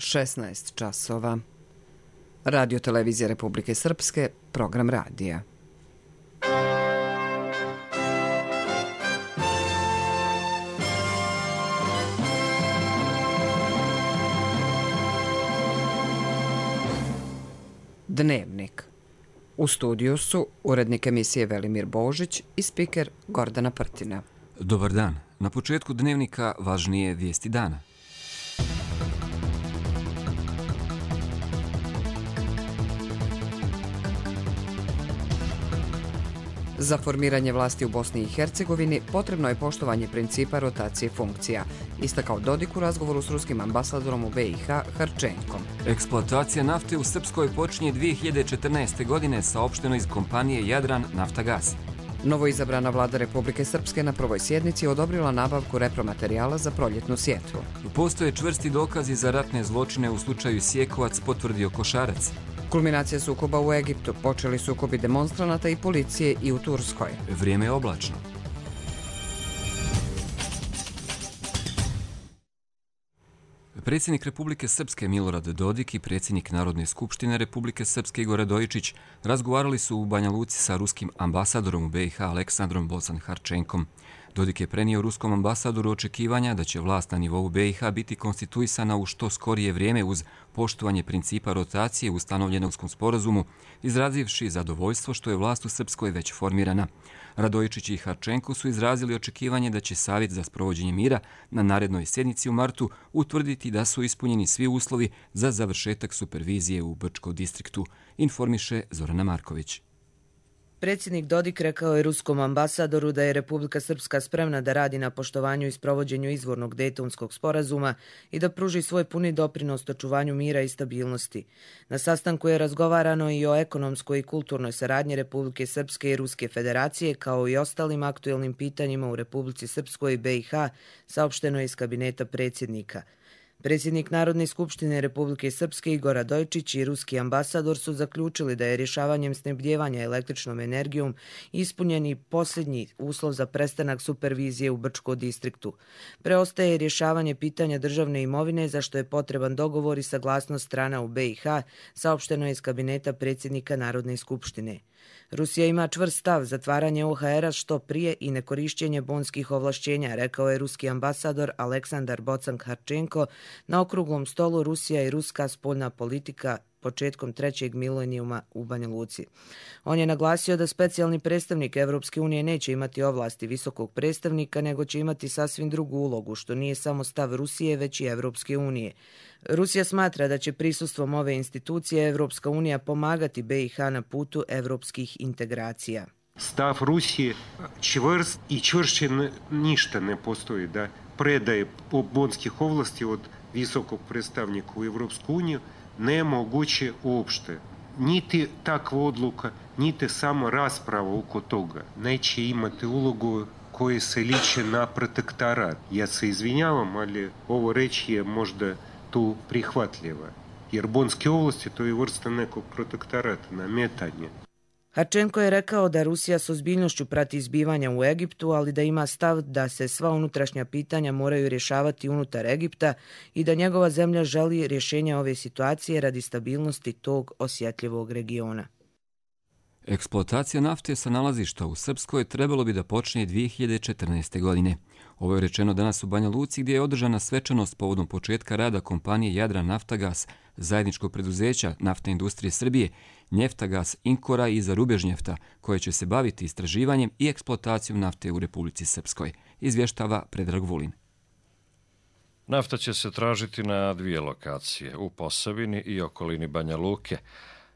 16 časova. Radio televizija Republike Srpske, program radija. Dnevnik. U studiju su urednik emisije Velimir Božić i spiker Gordana Prtina. Dobar dan. Na početku dnevnika važnije vijesti dana. Za formiranje vlasti u Bosni i Hercegovini potrebno je poštovanje principa rotacije funkcija, istakao Dodik u razgovoru s ruskim ambasadorom u BiH Harčenkom. Eksploatacija nafte u Srpskoj počinje 2014. godine, saopšteno iz kompanije Jadran Naftagas. Novoizabrana vlada Republike Srpske na prvoj sjednici odobrila nabavku repromaterijala za proljetnu sjetvu. Postoje čvrsti dokazi za ratne zločine u slučaju Sjekovac, potvrdio Košarac. Kulminacija sukoba u Egiptu, počeli sukobi demonstranata i policije i u Turskoj. Vrijeme je oblačno. Predsjednik Republike Srpske Milorad Dodik i predsjednik Narodne skupštine Republike Srpske Igor Radojičić razgovarali su u Banja Luci sa ruskim ambasadorom u BiH Aleksandrom Bocan-Harčenkom. Dodik je prenio ruskom ambasadoru očekivanja da će vlast na nivou BiH biti konstituisana u što skorije vrijeme uz poštovanje principa rotacije ustanovljenog u sporazumu, izrazivši zadovoljstvo što je vlast u Srpskoj već formirana. Radojičić i Harčenko su izrazili očekivanje da će Savjet za sprovođenje mira na narednoj sjednici u martu utvrditi da su ispunjeni svi uslovi za završetak supervizije u Brčkom distriktu, informiše Zorana Marković. Predsjednik Dodik rekao je ruskom ambasadoru da je Republika Srpska spremna da radi na poštovanju i sprovođenju izvornog Dejtonskog sporazuma i da pruži svoj puni doprinos očuvanju mira i stabilnosti. Na sastanku je razgovarano i o ekonomskoj i kulturnoj saradnji Republike Srpske i Ruske federacije, kao i ostalim aktuelnim pitanjima u Republici Srpskoj i BiH, saopšteno je iz kabineta predsjednika. Predsjednik Narodne skupštine Republike Srpske Igor Radojičić i ruski ambasador su zaključili da je rješavanjem snabdijevanja električnom energijom ispunjeni posljednji uslov za prestanak supervizije u Brčkom distriktu. Preostaje rješavanje pitanja državne imovine, za što je potreban dogovor i saglasnost strana u BiH, saopšteno je iz kabineta predsjednika Narodne skupštine. Rusija ima čvrst stav zatvaranje OHR-a što prije i nekorišćenje bonskih ovlašćenja, rekao je ruski ambasador Aleksandar Bocan-Harčenko na okruglom stolu Rusija i ruska spoljna politika početkom trećeg milenijuma u Banja Luci. On je naglasio da specijalni predstavnik Evropske unije neće imati ovlasti visokog predstavnika, nego će imati sasvim drugu ulogu, što nije samo stav Rusije, već i Evropske unije. Rusija smatra da će prisustvom ove institucije Evropska unija pomagati BiH na putu evropskih integracija. Stav Rusije čvrst i čvršće ništa ne postoji da predaje bonskih ovlasti od visokog predstavnika u Evropsku uniju nemoguće uopšte. Niti takva odluka, niti samo rasprava oko toga neće imati ulogu koja se liči na protektorat. Ja se izvinjavam, ali ovo reći je možda tu prihvatljiva. Jer bonske ovlasti to je vrsta nekog protektorata, nametanja. Harčenko je rekao da Rusija s ozbiljnošću prati izbivanja u Egiptu, ali da ima stav da se sva unutrašnja pitanja moraju rješavati unutar Egipta i da njegova zemlja želi rješenja ove situacije radi stabilnosti tog osjetljivog regiona. Eksploatacija nafte sa nalazišta u Srpskoj trebalo bi da počne 2014. godine. Ovo je rečeno danas u Banja Luci, gdje je održana svečanost povodom početka rada kompanije Jadran Naftagas, zajedničkog preduzeća naftne industrije Srbije, Njeftagas, Inkora i Zarubežnjefta, koje će se baviti istraživanjem i eksploatacijom nafte u Republici Srpskoj, izvještava Predrag Vulin. Nafta će se tražiti na 2 lokacije, u Posavini i okolini Banja Luke.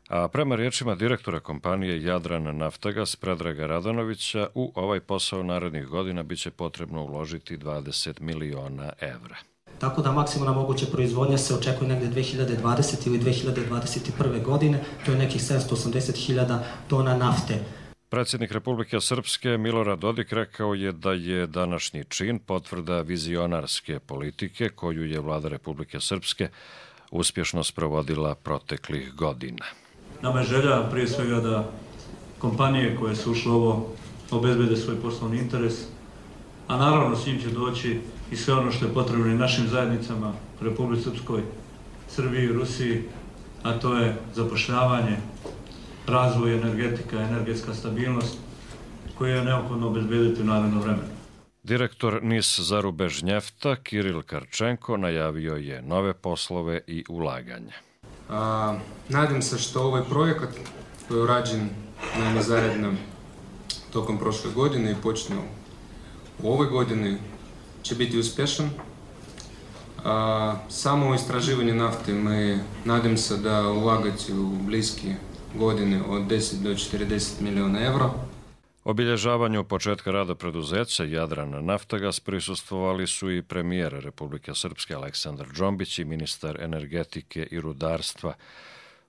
A prema riječima direktora kompanije Jadran Naftagas Predraga Radanovića, u ovaj posao narednih godina biće potrebno uložiti 20 miliona evra. Tako da maksimalna moguća proizvodnja se očekuje negdje 2020. ili 2021. godine, to je nekih 780.000 tona nafte. Predsjednik Republike Srpske Milorad Dodik rekao je da je današnji čin potvrda vizionarske politike koju je vlada Republike Srpske uspješno sprovodila proteklih godina. Nama je želja prije svega da kompanije koje su ušle ovo obezbede svoj poslovni interes, a naravno s njim će doći i sve ono što je potrebno i našim zajednicama u Republici Srpskoj Srbiji i Rusiji, a to je zapošljavanje, razvoj energetika, energetska stabilnost koju je neophodno obezbediti u narednom vremenu. Direktor NIS Zarubežnjefta Kiril Karčenko najavio je nove poslove i ulaganje. Nadam se što ovaj projekat koji je urađen zaredno tokom prošle godine i počne u ovoj godini će biti uspješan. Samo u istraživanje nafte mi nadam se da ulagati u bliske godine od 10 do 40 milijuna evra. Obilježavanju početka rada preduzeća Jadran Naftagas prisustvovali su i premijer Republike Srpske Aleksandar Džombić i ministar energetike i rudarstva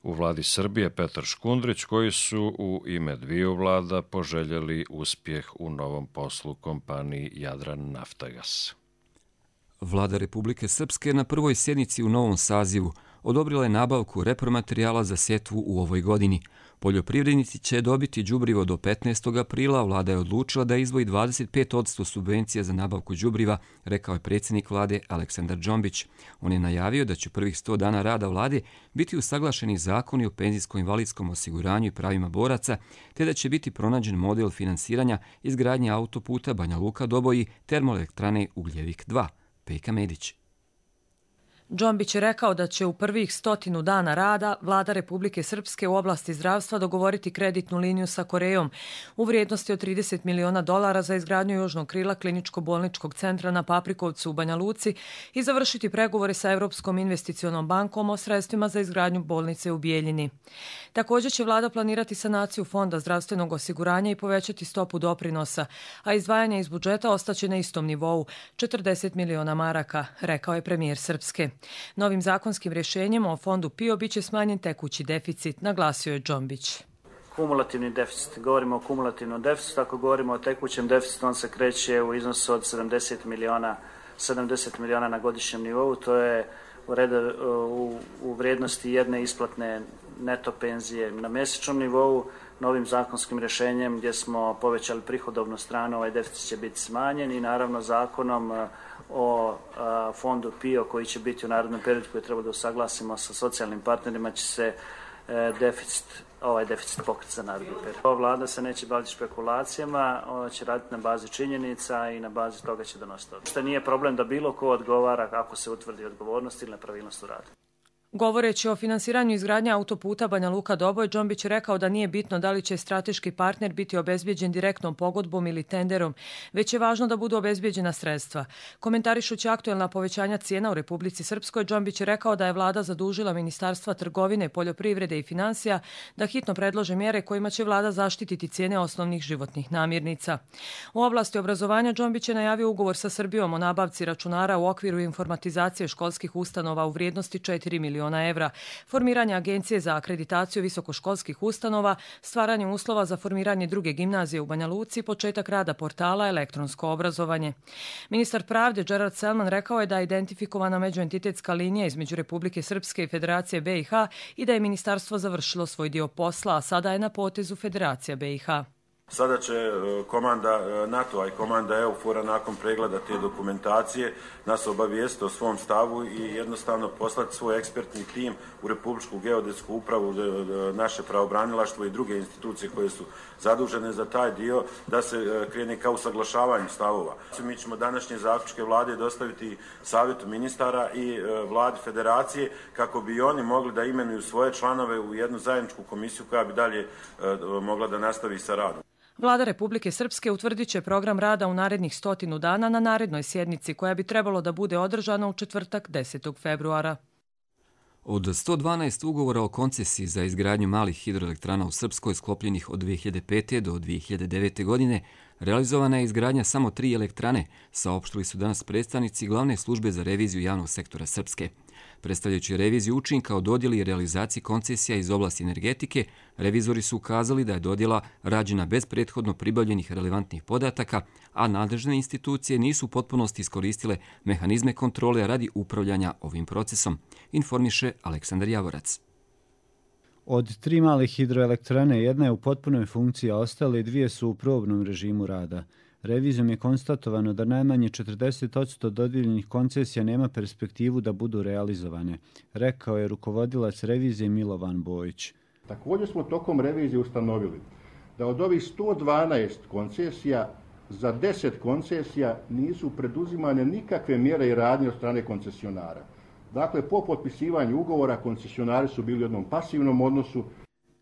u vladi Srbije Petar Škundrić, koji su u ime dviju vlada poželjeli uspjeh u novom poslu kompaniji Jadran Naftagas. Vlada Republike Srpske na prvoj sjednici u novom sazivu odobrila je nabavku repromaterijala za sjetvu u ovoj godini. Poljoprivrednici će dobiti đubrivo do 15. aprila. Vlada je odlučila da izdvoji 25% subvencija za nabavku đubriva, rekao je predsjednik vlade Aleksandar Džombić. On je najavio da će prvih 100 dana rada vlade biti usaglašeni zakoni o penzijsko-invalidskom osiguranju i pravima boraca, te da će biti pronađen model finansiranja izgradnje autoputa Banja Luka-Doboj, termoelektrane Ugljevik 2. Pejka Medić. Džombić je rekao da će u prvih 100 dana rada Vlada Republike Srpske u oblasti zdravstva dogovoriti kreditnu liniju sa Korejom u vrijednosti od $30 miliona za izgradnju južnog krila kliničko-bolničkog centra na Paprikovcu u Banja Luci i završiti pregovore sa Europskom investicionom bankom o sredstvima za izgradnju bolnice u Bijeljini. Također će Vlada planirati sanaciju Fonda zdravstvenog osiguranja i povećati stopu doprinosa, a izdvajanje iz budžeta ostaće na istom nivou, 40 miliona maraka, rekao je premijer Srpske. Novim zakonskim rješenjem o fondu PIO biće smanjen tekući deficit, naglasio je Džombić. Kumulativni deficit, govorimo o kumulativnom deficitu, ako govorimo o tekućem deficitu, on se kreće u iznosu od 70 miliona na godišnjem nivou, to je u vrijednosti jedne isplatne neto penzije na mjesečnom nivou. Novim zakonskim rješenjem gdje smo povećali prihodovnu stranu, ovaj deficit će biti smanjen i naravno zakonom o fondu PIO koji će biti u narednom periodu koji treba da usaglasimo sa socijalnim partnerima će se ovaj deficit pokriti za naredni period. Ova vlada se neće baviti špekulacijama, ona će raditi na bazi činjenica i na bazi toga će donositi odluke. Što nije problem da bilo ko odgovara ako se utvrdi odgovornost ili nepravilnost u radu. Govoreći o finansiranju izgradnje autoputa Banja Luka-Doboj, Džombić je rekao da nije bitno da li će strateški partner biti obezbijeđen direktnom pogodbom ili tenderom, već je važno da budu obezbijeđena sredstva. Komentarišući aktuelna povećanja cijena u Republici Srpskoj, Džombić je rekao da je vlada zadužila Ministarstva trgovine, poljoprivrede i financija da hitno predlože mjere kojima će vlada zaštititi cijene osnovnih životnih namirnica. U oblasti obrazovanja Džombić je najavio ugovor sa Srbijom o nabavci računara u okviru informatizacije školskih ustanova u vrijednosti 4 miliona evra, formiranje agencije za akreditaciju visokoškolskih ustanova, stvaranje uslova za formiranje druge gimnazije u Banja Luci i početak rada portala elektronsko obrazovanje. Ministar pravde Gerard Selman rekao je da je identifikovana međuentitetska linija između Republike Srpske i Federacije BiH i da je ministarstvo završilo svoj dio posla, a sada je na potezu Federacija BiH. Sada će komanda NATO-a i komanda EUFOR-a nakon pregleda te dokumentacije nas obavijestiti o svom stavu i jednostavno poslati svoj ekspertni tim u Republičku geodetsku upravu, naše pravobranilaštvo i druge institucije koje su zadužene za taj dio, da se krene ka usaglašavanju stavova. Mi ćemo današnje zaključke vlade dostaviti savjetu ministara i vladi federacije kako bi oni mogli da imenuju svoje članove u jednu zajedničku komisiju koja bi dalje mogla da nastavi sa radom. Vlada Republike Srpske utvrdit će program rada u narednih 100 dana na narednoj sjednici koja bi trebalo da bude održana u četvrtak 10. februara. Od 112 ugovora o koncesiji za izgradnju malih hidroelektrana u Srpskoj sklopljenih od 2005. do 2009. godine, realizovana je izgradnja samo 3 elektrane, saopštili su danas predstavnici Glavne službe za reviziju javnog sektora Srpske. Predstavljajući reviziju učinka o dodjeli i realizaciji koncesija iz oblasti energetike, revizori su ukazali da je dodjela rađena bez prethodno pribavljenih relevantnih podataka, a nadležne institucije nisu u potpunosti iskoristile mehanizme kontrole radi upravljanja ovim procesom, informiše Aleksandar Javorac. Od 3 male hidroelektrane jedna je u potpunoj funkciji, a ostale 2 su u probnom režimu rada. Revizijom je konstatovano da najmanje 40% dodijeljenih koncesija nema perspektivu da budu realizovane, rekao je rukovodilac revizije Milovan Bojić. Također smo tokom revizije ustanovili da od ovih 112 koncesija za 10 koncesija nisu preduzimane nikakve mjere i radnje od strane koncesionara. Dakle, po potpisivanju ugovora koncesionari su bili u jednom pasivnom odnosu.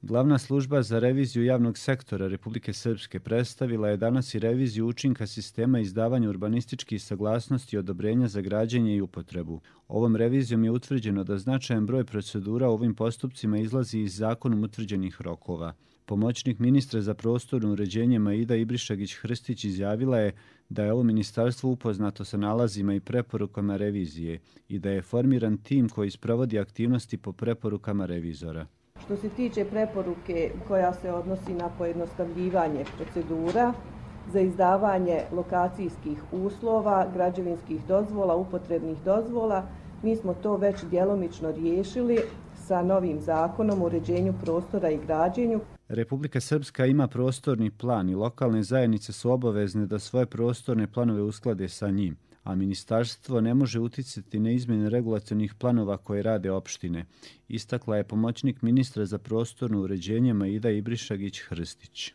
Glavna služba za reviziju javnog sektora Republike Srpske predstavila je danas i reviziju učinka sistema izdavanja urbanističkih saglasnosti i odobrenja za građenje i upotrebu. Ovom revizijom je utvrđeno da značajan broj procedura u ovim postupcima izlazi iz zakonom utvrđenih rokova. Pomoćnik ministra za prostorno uređenje Maida Ibrišagić-Hrstić izjavila je da je ovo ministarstvo upoznato sa nalazima i preporukama revizije i da je formiran tim koji sprovodi aktivnosti po preporukama revizora. Što se tiče preporuke koja se odnosi na pojednostavljivanje procedura za izdavanje lokacijskih uslova, građevinskih dozvola, upotrebnih dozvola, mi smo to već djelomično riješili sa novim zakonom o uređenju prostora i građenju. Republika Srpska ima prostorni plan i lokalne zajednice su obavezne da svoje prostorne planove usklade sa njim, a ministarstvo ne može uticati na izmjene regulatornih planova koje rade opštine, istakla je pomoćnik ministra za prostorno uređenje Maida Ibrišagić-Hrstić.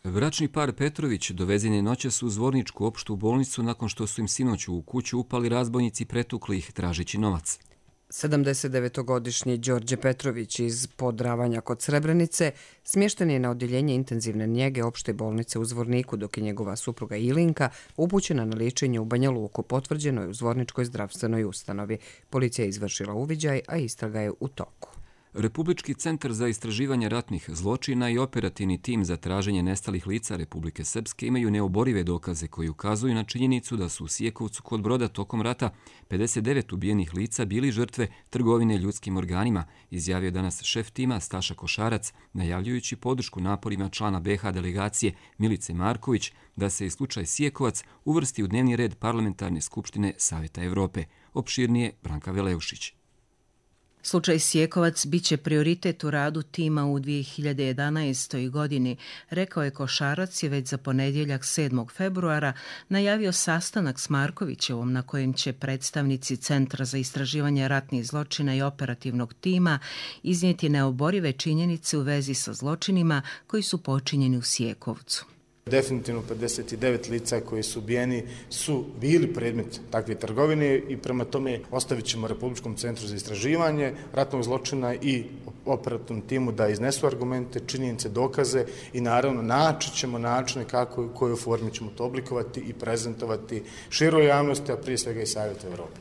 Bračni par Petrović dovezen je noćas u Zvorničku opštu bolnicu nakon što su im sinoć u kuću upali razbojnici, pretukli ih tražeći novac. 79-godišnji Đorđe Petrović iz Podravanja kod Srebrenice smješten je na odjeljenje intenzivne njege opšte bolnice u Zvorniku, dok je njegova supruga Ilinka upućena na liječenje u Banja Luku, potvrđeno je u Zvorničkoj zdravstvenoj ustanovi. Policija je izvršila uviđaj, a istraga je u toku. Republički centar za istraživanje ratnih zločina i operativni tim za traženje nestalih lica Republike Srpske imaju neoborive dokaze koji ukazuju na činjenicu da su u Sijekovcu kod Broda tokom rata 59 ubijenih lica bili žrtve trgovine ljudskim organima, izjavio danas šef tima Staša Košarac, najavljujući podršku naporima člana BiH delegacije Milice Marković da se i slučaj Sijekovac uvrsti u dnevni red Parlamentarne skupštine Savjeta Evrope. Opširnije Branka Veleušić. Slučaj Sijekovac biće prioritet u radu tima u 2011. godini, rekao je Košarac je već za ponedjeljak 7. februara najavio sastanak s Markovićevom na kojem će predstavnici Centra za istraživanje ratnih zločina i operativnog tima iznijeti neoborive činjenice u vezi sa zločinima koji su počinjeni u Sijekovcu. Definitivno 59 lica koji su ubijeni su bili predmet takve trgovine i prema tome ostavit ćemo Republičkom centru za istraživanje ratnog zločina i operativnom timu da iznesu argumente, činjenice, dokaze i naravno naći ćemo načine kako i u kojoj formi ćemo to oblikovati i prezentovati široj javnosti, a prije svega i Savjetu Evrope.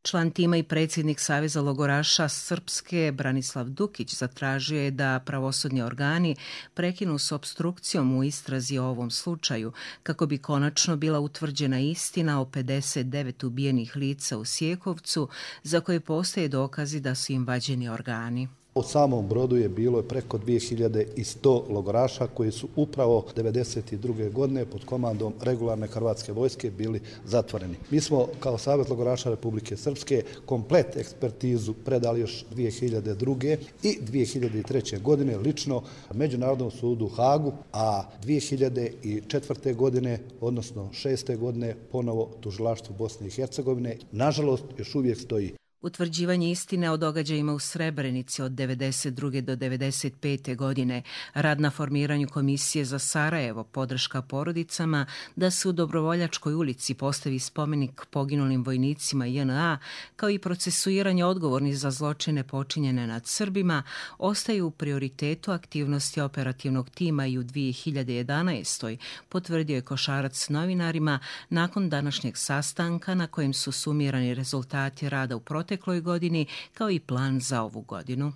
Član tima i predsjednik Saveza logoraša Srpske Branislav Dukić zatražio je da pravosudni organi prekinu s opstrukcijom u istrazi o ovom slučaju kako bi konačno bila utvrđena istina o 59 ubijenih lica u Sijekovcu za koje postoje dokazi da su im vađeni organi. U samom Brodu je bilo preko 2100 logoraša koji su upravo 1992. godine pod komandom regularne hrvatske vojske bili zatvoreni. Mi smo kao Savjet logoraša Republike Srpske komplet ekspertizu predali još 2002. i 2003. godine lično Međunarodnom sudu u Hagu, a 2004. godine, odnosno 6. godine, ponovo tužilaštvu Bosne i Hercegovine. Nažalost, još uvijek stoji. Utvrđivanje istine o događajima u Srebrenici od 1992. do 1995. godine, rad na formiranju komisije za Sarajevo, podrška porodicama, da se u Dobrovoljačkoj ulici postavi spomenik poginulim vojnicima JNA, kao i procesuiranje odgovornih za zločine počinjene nad Srbima, ostaju u prioritetu aktivnosti operativnog tima i u 2011. potvrdio je Košarac novinarima nakon današnjeg sastanka na kojem su sumirani rezultati rada u protekloj godini kao i plan za ovu godinu.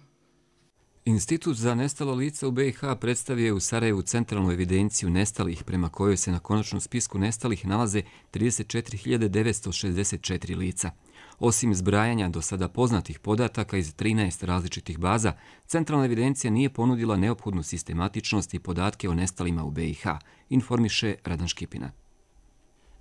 Institut za nestala lica u BiH predstavio je u Sarajevu centralnu evidenciju nestalih prema kojoj se na konačnom spisku nestalih nalaze 34.964 lica. Osim zbrajanja do sada poznatih podataka iz 13 različitih baza, centralna evidencija nije ponudila neophodnu sistematičnost i podatke o nestalima u BiH, informiše Radan Škipina.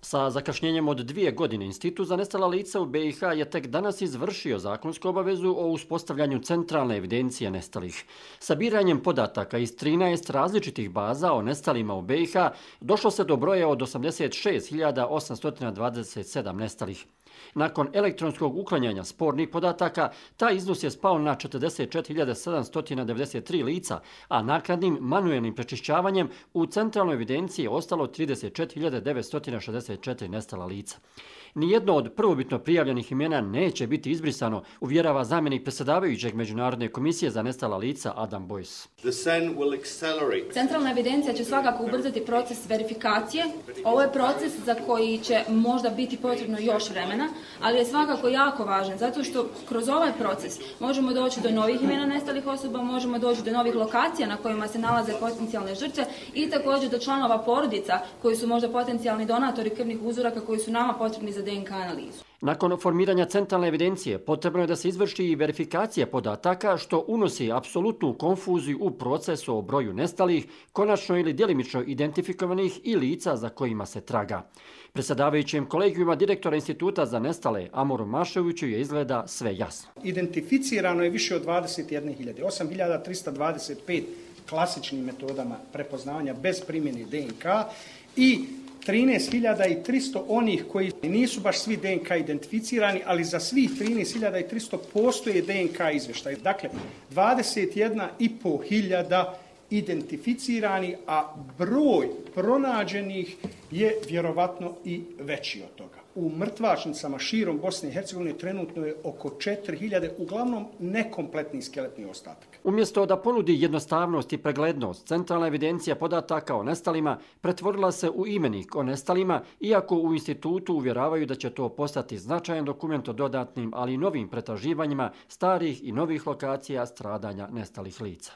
Sa zakašnjenjem od 2 godine Institut za nestala lica u BiH je tek danas izvršio zakonsku obavezu o uspostavljanju centralne evidencije nestalih. Sabiranjem podataka iz 13 različitih baza o nestalima u BiH došlo se do broja od 86.827 nestalih. Nakon elektronskog uklanjanja spornih podataka, taj iznos je spao na 44.793 lica, a naknadnim manuelnim prečišćavanjem u centralnoj evidenciji je ostalo 34.964 nestala lica. Nijedno od prvobitno prijavljenih imena neće biti izbrisano, uvjerava zamjenik predsjedavajućeg Međunarodne komisije za nestala lica Adam Boyce. Centralna evidencija će svakako ubrzati proces verifikacije. Ovo je proces za koji će možda biti potrebno još vremena, ali je svakako jako važan, zato što kroz ovaj proces možemo doći do novih imena nestalih osoba, možemo doći do novih lokacija na kojima se nalaze potencijalne žrtve i također do članova porodica koji su možda potencijalni donatori krvnih uzoraka koji su nama potrebni za DNK analizu. Nakon formiranja centralne evidencije potrebno je da se izvrši i verifikacija podataka, što unosi apsolutnu konfuziju u procesu o broju nestalih, konačno ili djelimično identifikovanih i lica za kojima se traga. Predsjedavajućem kolegijuma direktora Instituta za nestale Amoru Maševiću je izgleda sve jasno. Identificirano je više od 21.000, 8.325 klasičnim metodama prepoznavanja bez primjene DNK i 13.300 onih koji nisu baš svi DNK identificirani, ali za svih 13.300 postoje DNK izvještaj. Dakle, 21.500 identificirani, a broj pronađenih je vjerovatno i veći od toga. U mrtvačnicama širom Bosne i Hercegovine trenutno je oko 4.000, uglavnom nekompletnih skeletnih ostataka. Umjesto da ponudi jednostavnost i preglednost, centralna evidencija podataka o nestalima pretvorila se u imenik o nestalima, iako u institutu uvjeravaju da će to postati značajan dokument o dodatnim, ali i novim pretraživanjima starih i novih lokacija stradanja nestalih lica.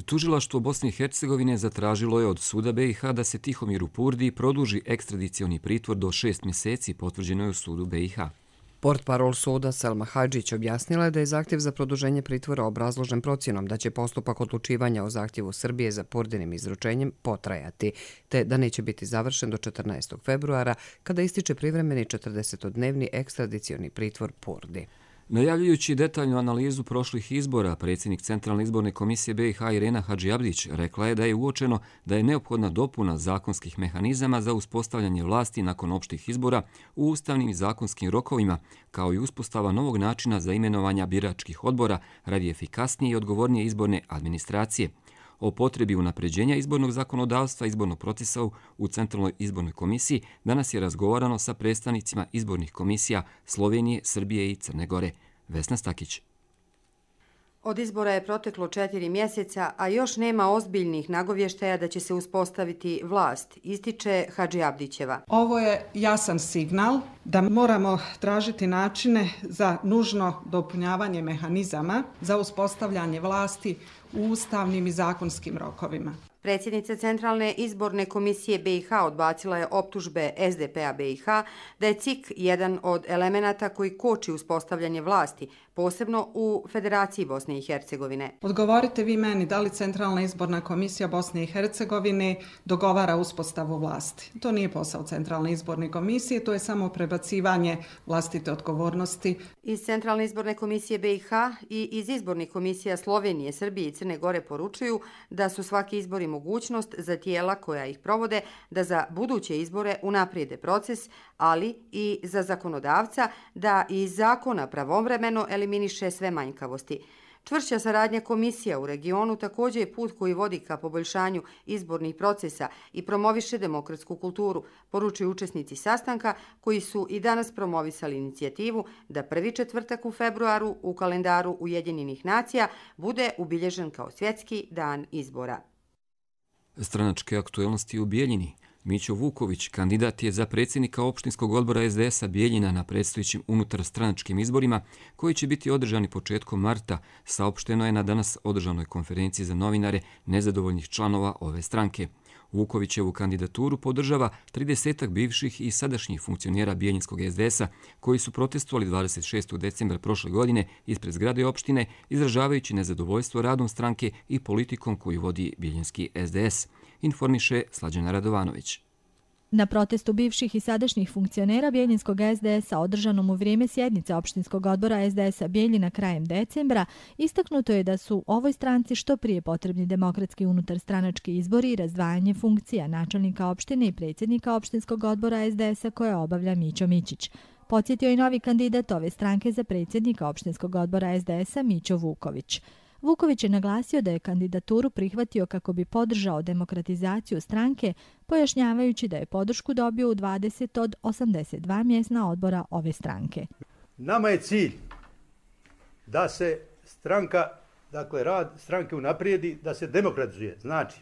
Tužilaštvo Bosne i Hercegovine zatražilo je od suda BiH da se Tihomiru Purdi produži ekstradicioni pritvor do 6 mjeseci, potvrđeno je u sudu BiH. Portparol suda Selma Hadžić objasnila je da je zahtjev za produženje pritvora obrazložen procjenom da će postupak odlučivanja o zahtjevu Srbije za Purdinim izručenjem potrajati, te da neće biti završen do 14. februara kada ističe privremeni 40-dnevni ekstradicioni pritvor Purdi. Najavljujući detaljnu analizu prošlih izbora, predsjednik Centralne izborne komisije BiH Irena Hadžiabdić rekla je da je uočeno da je neophodna dopuna zakonskih mehanizama za uspostavljanje vlasti nakon opštih izbora u ustavnim i zakonskim rokovima, kao i uspostava novog načina za imenovanja biračkih odbora radi efikasnije i odgovornije izborne administracije. O potrebi unapređenja izbornog zakonodavstva i izbornog procesa u Centralnoj izbornoj komisiji danas je razgovarano sa predstavnicima izbornih komisija Slovenije, Srbije i Crne Gore. Vesna Stakić. Od izbora je proteklo 4 mjeseca, a još nema ozbiljnih nagovještaja da će se uspostaviti vlast, ističe Hadžiabdićeva. Ovo je jasan signal da moramo tražiti načine za nužno dopunjavanje mehanizama za uspostavljanje vlasti u ustavnim i zakonskim rokovima. Predsjednica Centralne izborne komisije BiH odbacila je optužbe SDP-a BiH da je CIK jedan od elemenata koji koči uspostavljanje vlasti, posebno u Federaciji Bosne i Hercegovine. Odgovorite vi meni da li Centralna izborna komisija Bosne i Hercegovine dogovara uspostavu vlasti. To nije posao Centralne izborne komisije, to je samo prebacivanje vlastite odgovornosti. Iz Centralne izborne komisije BiH i iz izbornih komisija Slovenije, Srbije i Crne Gore poručuju da su svaki izbori mogućnost za tijela koja ih provode da za buduće izbore unaprijede proces, ali i za zakonodavca da iz zakona pravovremeno eliminiše sve manjkavosti. Čvršća saradnja komisija u regionu također je put koji vodi ka poboljšanju izbornih procesa i promoviše demokratsku kulturu, poručuju učesnici sastanka koji su i danas promovisali inicijativu da prvi četvrtak u februaru u kalendaru Ujedinjenih nacija bude ubilježen kao svjetski dan izbora. Stranačke aktuelnosti u Bijeljini. Mićo Vuković, kandidat je za predsjednika opštinskog odbora SDS-a Bijeljina na predstojećim unutarstranačkim izborima koji će biti održani početkom marta, saopšteno je na danas održanoj konferenciji za novinare nezadovoljnih članova ove stranke. Vukovićevu kandidaturu podržava 30 bivših i sadašnjih funkcionera Bijeljinskog SDS-a koji su protestovali 26. decembra prošle godine ispred zgrade opštine, izražavajući nezadovoljstvo radom stranke i politikom koju vodi Bijeljinski SDS, informiše Slađana Radovanović. Na protestu bivših i sadašnjih funkcionera Bjeljinskog SDS-a održanom u vrijeme sjednice opštinskog odbora SDS-a Bjeljina krajem decembra, istaknuto je da su ovoj stranci što prije potrebni demokratski unutarstranački izbori i razdvajanje funkcija načelnika opštine i predsjednika opštinskog odbora SDS-a koje obavlja Mićo Mićić. Podsjetio i novi kandidat ove stranke za predsjednika opštinskog odbora SDS-a Mićo Vuković. Vuković je naglasio da je kandidaturu prihvatio kako bi podržao demokratizaciju stranke, pojašnjavajući da je podršku dobio u 20 od 82 mjesna odbora ove stranke. Nama je cilj da se stranka, dakle rad stranke unaprijedi, da se demokratizuje. Znači,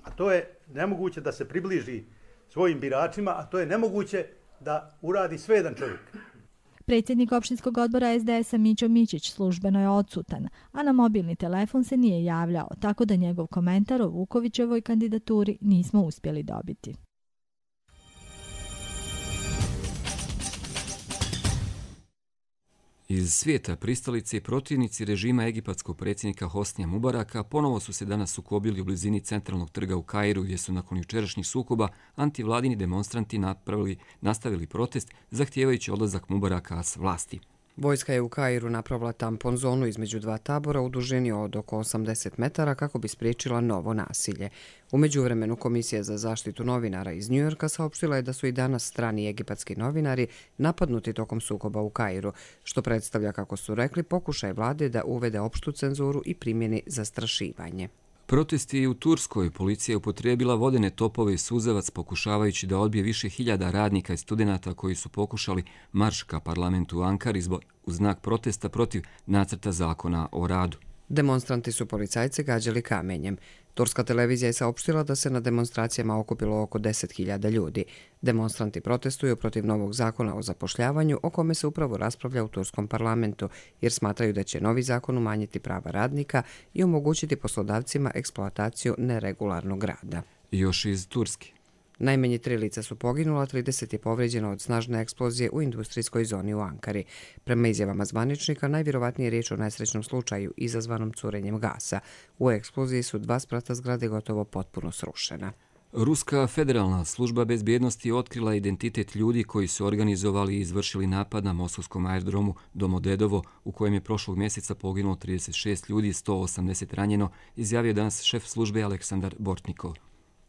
a to je nemoguće da se približi svojim biračima, a to je nemoguće da uradi sve jedan čovjek. Predsjednik opštinskog odbora SDS-a Mićo Mićić službeno je odsutan, a na mobilni telefon se nije javljao, tako da njegov komentar o Vukovićevoj kandidaturi nismo uspjeli dobiti. Iz svijeta pristalice i protivnici režima egipatskog predsjednika Hosnija Mubaraka ponovo su se danas sukobili u blizini centralnog trga u Kairu, gdje su nakon jučerašnjih sukoba antivladini demonstranti nastavili protest zahtijevajući odlazak Mubaraka s vlasti. Vojska je u Kairu napravila tampon zonu između dva tabora u dužini od oko 80 metara kako bi spriječila novo nasilje. U međuvremenu Komisija za zaštitu novinara iz Njujorka saopštila je da su i danas strani egipatski novinari napadnuti tokom sukoba u Kairu, što predstavlja, kako su rekli, pokušaj vlade da uvede opštu cenzuru i primjeni zastrašivanje. Protesti u Turskoj. Policija je upotrijebila vodene topove i suzavac pokušavajući da odbije više hiljada radnika i studenata koji su pokušali marš ka parlamentu u Ankari u znak protesta protiv nacrta zakona o radu. Demonstranti su policajce gađali kamenjem. Turska televizija je saopštila da se na demonstracijama okupilo oko 10.000 ljudi. Demonstranti protestuju protiv novog zakona o zapošljavanju, o kome se upravo raspravlja u turskom parlamentu, jer smatraju da će novi zakon umanjiti prava radnika i omogućiti poslodavcima eksploataciju neregularnog rada. Još iz Turske. Najmanje 3 lica su poginula, 30 je povrijeđeno od snažne eksplozije u industrijskoj zoni u Ankari. Prema izjavama zvaničnika, najvjerovatnije je riječ o nesrećnom slučaju izazvanom curenjem gasa. U eksploziji su 2 sprata zgrade gotovo potpuno srušena. Ruska federalna služba bezbjednosti otkrila identitet ljudi koji su organizovali i izvršili napad na moskovskom aerodromu Domodedovo, u kojem je prošlog mjeseca poginulo 36 ljudi i 180 ranjeno, izjavio danas šef službe Aleksandar Bortnikov.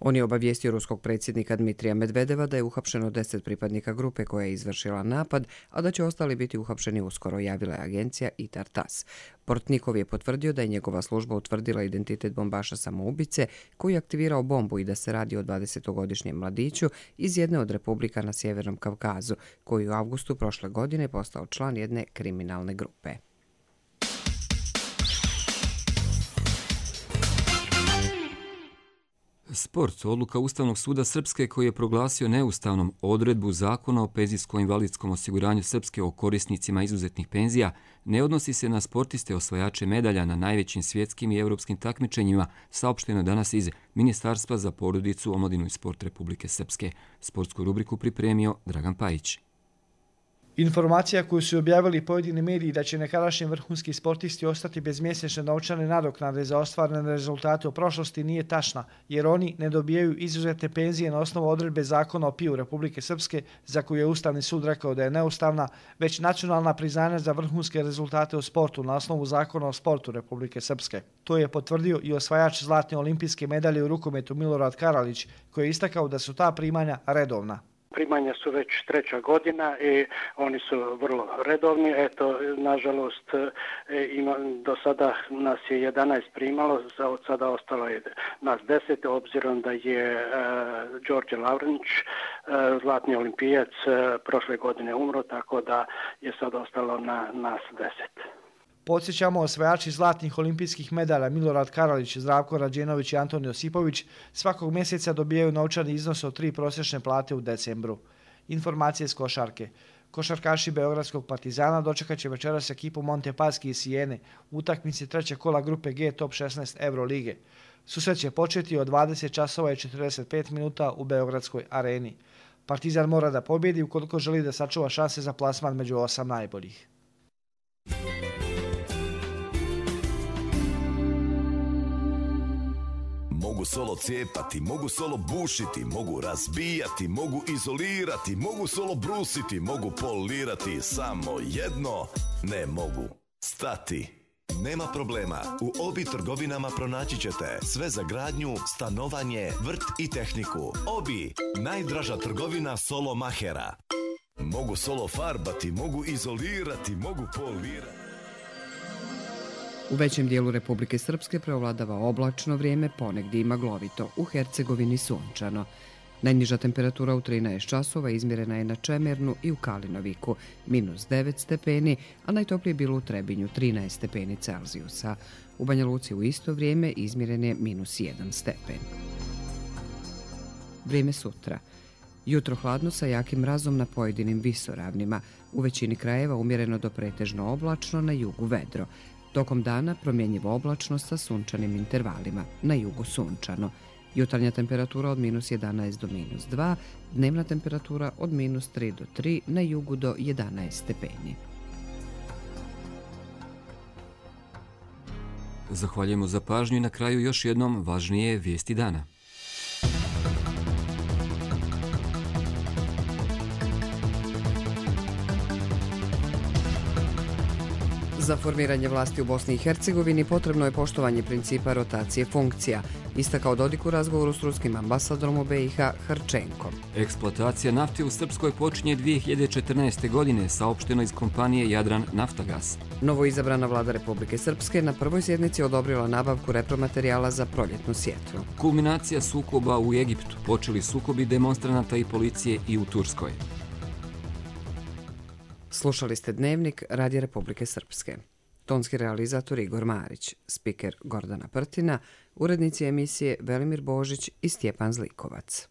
On je obavijestio ruskog predsjednika Dmitrija Medvedeva da je uhapšeno 10 pripadnika grupe koja je izvršila napad, a da će ostali biti uhapšeni uskoro, javila je agencija ITAR-TASS. Bortnikov je potvrdio da je njegova služba utvrdila identitet bombaša samoubice koji je aktivirao bombu i da se radi o 20-godišnjem mladiću iz jedne od republika na Sjevernom Kavkazu, koji u avgustu prošle godine postao član jedne kriminalne grupe. Sport. Odluka Ustavnog suda Srpske koji je proglasio neustavnom odredbu Zakona o penzijsko-invalidskom osiguranju Srpske o korisnicima izuzetnih penzija ne odnosi se na sportiste osvajače medalja na najvećim svjetskim i europskim takmičenjima, saopšteno danas iz Ministarstva za porodicu, omladinu i sport Republike Srpske. Sportsku rubriku pripremio Dragan Pajić. Informacija koju su objavili pojedini mediji da će nekadašnji vrhunski sportisti ostati bez mjesečne novčane nadoknade za ostvarene rezultate u prošlosti nije tačna, jer oni ne dobijaju izuzetne penzije na osnovu odredbe Zakona o PIO Republike Srpske, za koju je Ustavni sud rekao da je neustavna, već nacionalna priznanja za vrhunske rezultate u sportu na osnovu Zakona o sportu Republike Srpske. To je potvrdio i osvajač zlatne olimpijske medalje u rukometu Milorad Karalić, koji je istakao da su ta primanja redovna. Primanja su već 3. godina i oni su vrlo redovni. Eto, nažalost, do sada nas je 11 primalo, od sada ostalo je nas 10, obzirom da je Đorđe Lavrinić, zlatni olimpijac, prošle godine umro, tako da je sad ostalo na nas 10. Podsjećamo, osvajači zlatnih olimpijskih medalja Milorad Karalić, Zdravko Rađenović i Antonij Josipović svakog mjeseca dobijaju novčani iznos od 3 prosječne plate u decembru. Informacije s košarke. Košarkaši Beogradskog Partizana dočekat će večeras ekipu Montepaschi iz Sijene u utakmici 3. kola grupe G Top 16 Eurolige. Susret će početi od 20 časova i 45 minuta u Beogradskoj areni. Partizan mora da pobjedi ukoliko želi da sačuva šanse za plasman među 8 najboljih. Mogu solo cijepati, mogu solo bušiti, mogu razbijati, mogu izolirati, mogu solo brusiti, mogu polirati, samo jedno ne mogu stati. Nema problema, u Obi trgovinama pronaći ćete sve za gradnju, stanovanje, vrt i tehniku. Obi, najdraža trgovina solo mahera. Mogu solo farbati, mogu izolirati, mogu polirati. U većem dijelu Republike Srpske preovladava oblačno vrijeme, ponegdje i maglovito, u Hercegovini sunčano. Najniža temperatura u 13 časova izmjerena je na Čemernu i u Kalinoviku, -9 stepeni, a najtoplije bilo u Trebinju, 13 stepeni Celzijusa. U Banja Luci u isto vrijeme izmjeren je -1 stepen. Vrijeme sutra. Jutro hladno sa jakim mrazom na pojedinim visoravnima. U većini krajeva umjereno do pretežno oblačno, na jugu vedro. Tokom dana promjenjivo oblačno sa sunčanim intervalima, na jugu sunčano. Jutarnja temperatura od -11 do -2, dnevna temperatura od -3 do 3, na jugu do 11 stepeni. Zahvaljujemo za pažnju i na kraju još jednom važnije vijesti dana. Za formiranje vlasti u Bosni i Hercegovini potrebno je poštovanje principa rotacije funkcija, istakao Dodik u razgovoru s ruskim ambasadorom u BiH Harčenkom. Eksploatacija nafte u Srpskoj počinje 2014. godine, saopšteno iz kompanije Jadran Naftagas. Novoizabrana vlada Republike Srpske na prvoj sjednici odobrila nabavku repromaterijala za proljetnu sjetvu. Kulminacija sukoba u Egiptu, počeli sukobi demonstranata i policije i u Turskoj. Slušali ste Dnevnik Radija Republike Srpske. Tonski realizator Igor Marić, spiker Gordana Prtina, urednici emisije Velimir Božić i Stjepan Zlikovac.